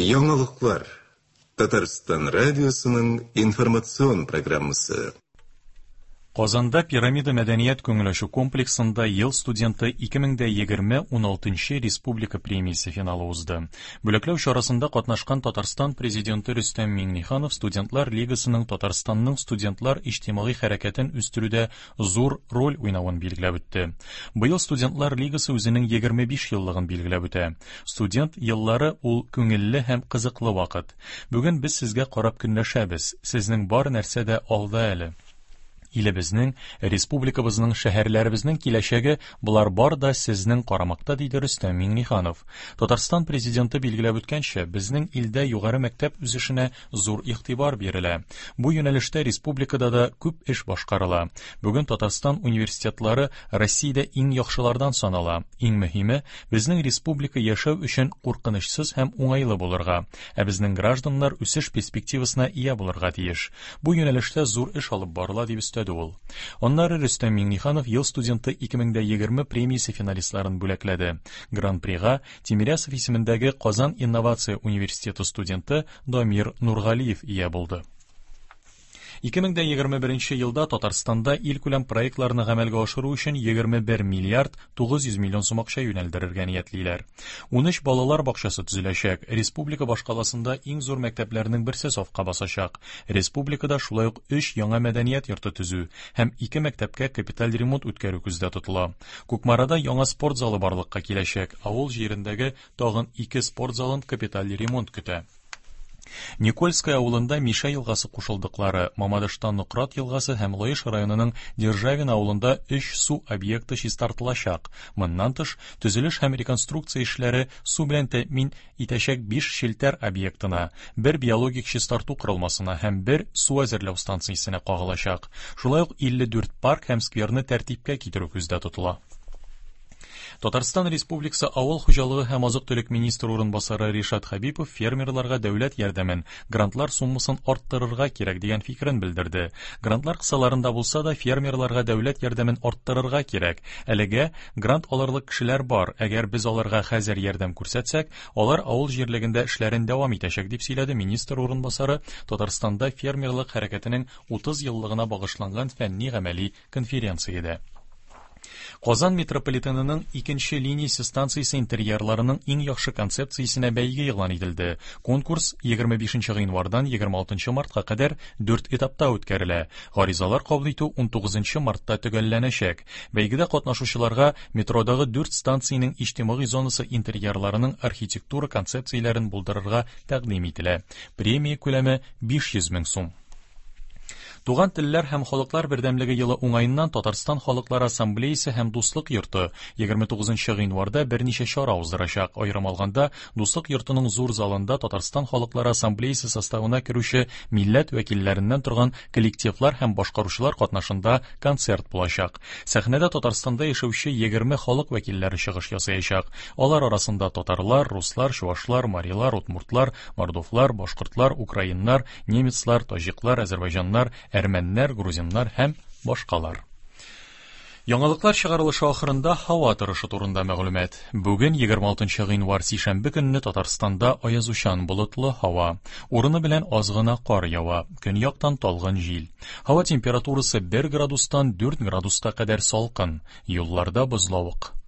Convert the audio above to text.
Яңалыклар. Татарстан радиосының информацион программасы. Казанда Пирамида мәдәният күңел ачу комплексында Ел студенты 2020 16 республика премиясе финалы узды. Бүләкләү чарасында катнашкан Татарстан президенты Рөстәм Миңнеханов студентлар лигасының Татарстанның студентлар иҗтимагый хәрәкәтен үстерүдә зур роль уйнавын билгеләп үтте. Быел студентлар лигасы үзенең 25 еллыгын билгеләп үтә. Студент еллары ул күңелле һәм кызыклы вакыт. Бүген без сезгә карап көнләшәбез. Сезнең бар нәрсә дә алда әле. Илебезнең, республикабызның, шәһәрләребезнең киләчәге болар бар да сезнең карамакта, диде Рөстәм Миңнеханов. Татарстан президенты билгеләп үткәнчә, безнең илдә югары мәктәп үсешенә зур игътибар бирелә. Бу юнәлештә республикада да күп эш башкарыла. Бүген Татарстан университетлары Россиядә иң яхшылардан санала. Иң мөһиме, безнең республика яшәү өчен куркынычсыз һәм уңайлы булырга, ә безнең гражданнар үсеш перспективасына ия булырга тиеш. Бу юнәлештә зур эш алып барыла, дип өстәде ул. Аннары Рөстәм Миңнеханов Ел студенты 2020 премиясе финалистларын бүләкләде. Гран-прига Тимирясов исемендәге Казан инновация университеты студенты Дамир Нургалиев ия булды. 2021 елда Татарстанда илкүләм проектларны гамәлгә ашыру өчен 21 миллиард 900 миллион сум акча юнәлдерергә ниятлиләр. 13 балалар бакчасы төзеләчәк. Республика башкаласында иң зур мәктәпләрнең берсе сафка басачак. Республикада шулай ук 3 яңа мәдәният йорты төзү һәм 2 мәктәпкә капиталь ремонт үткәрү күздә тотыла. Кукмарада яңа спорт залы барлыкка киләчәк. Авыл җирендәге тагын 2 спорт залын капиталь ремонт көтә. Никольское авылында Мишә елгасы кушылдыклары, Мамадышта Нократ елгасы һәм Лаеш районының Державин авылында өч су объекты чистартылачак. Моннан тыш, төзелеш һәм реконструкция эшләре су белән тәэмин итәчәк биш челтәр объектына, бер биологик чистарту корылмасына һәм бер су әзерләү станциясенә кагылачак. Шулай ук 54 парк һәм скверны тәртипкә китерү күздә тотыла. Татарстан Республикасы Авыл хуҗалыгы һәм азык-төлек министры урынбасары Ришат Хәбипов фермерларга дәүләт ярдәмен, грантлар суммасын арттырырга кирәк дигән фикерен белдерде. Грантлар кысаларында булса да, фермерларга дәүләт ярдәмен арттырырга кирәк. Әлегә грант алырлык кешеләр бар. Әгәр без аларга хәзер ярдәм күрсәтсәк, алар авыл җирлегендә эшләрен дәвам итәчәк, дип сөйләде министр урынбасары Татарстанда фермерлык хәрәкәтенең 30 еллыгына багышланган фәнни-гамәли конференциядә. Казан метрополитенының икенче линиясе станциясе интерьерларының иң яхшы концепциясенә бәйге игълан ителде. Конкурс 25 гыйнвардан 26 мартка кадәр дүрт этапта үткәрелә. Гаризалар кабул итү 19 мартта төгәлләнәчәк. Бәйгедә катнашучыларга метродагы дүрт станциянең иҗтимагый зонасы интерьерларының архитектура концепцияләрен булдырырга тәкъдим ителә. Премия күләме 500 мең сум. Туган телләр һәм халыклар бердәмлеге елы уңаеннан Татарстан халыклар ассамблеясы һәм Дуслык йорты 29 гыйнварда берничә чара уздырачак. Аерым алганда, Дуслык йортының зур залында Татарстан халыклар ассамблеясы составына керүче милләт вәкилләреннән торган коллективлар һәм башкаручылар катнашында концерт булачак. Сәхнәдә Татарстанда яшәүче 20 халык вәкилләре чыгыш ясаячак. Алар арасында татарлар, руслар, чувашлар, марилар, удмуртлар, мордовлар, башкортлар, украиннар, немецлар, таҗиклар, әзербайҗаннар, әрмәннәр, грузиннар һәм башкалар. Яңалыклар чыгарылышы ахырында һава торышы турында мәгълүмат. Бүген 26 гыйнвар сишәмбе көнне Татарстанда аязучан болытлы һава. Урыны белән аз гына кар ява. Көньяктан талгын җил. Һава температурасы 1 градустан 4 градуска кадәр салкын. Юлларда бозлавык.